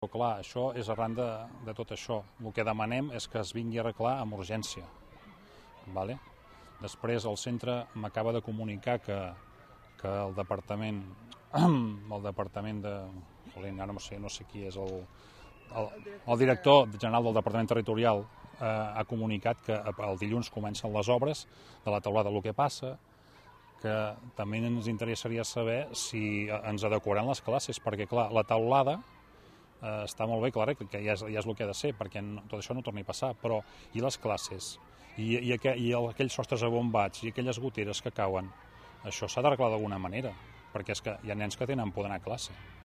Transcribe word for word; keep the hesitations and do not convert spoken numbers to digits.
Però clar, això és arran de, de tot això. El que demanem és que es vingui a arreglar amb urgència. Vale? Després el centre m'acaba de comunicar que, que el departament el departament de... ara no sé, no sé qui és el, el, el director general del departament territorial eh, ha comunicat que el dilluns comencen les obres de la teulada. El que passa que també ens interessaria saber si ens adequaran les classes, perquè clar, la teulada eh, està molt bé, clar, que ja és, ja és el que ha de ser, perquè no, tot això no torni a passar, però i les classes? I, i, aqu i el, aquells sostres abombats i aquelles goteres que cauen, això s'ha d'arreglar d'alguna manera, perquè és que hi ha nens que tenen por d'anar a classe.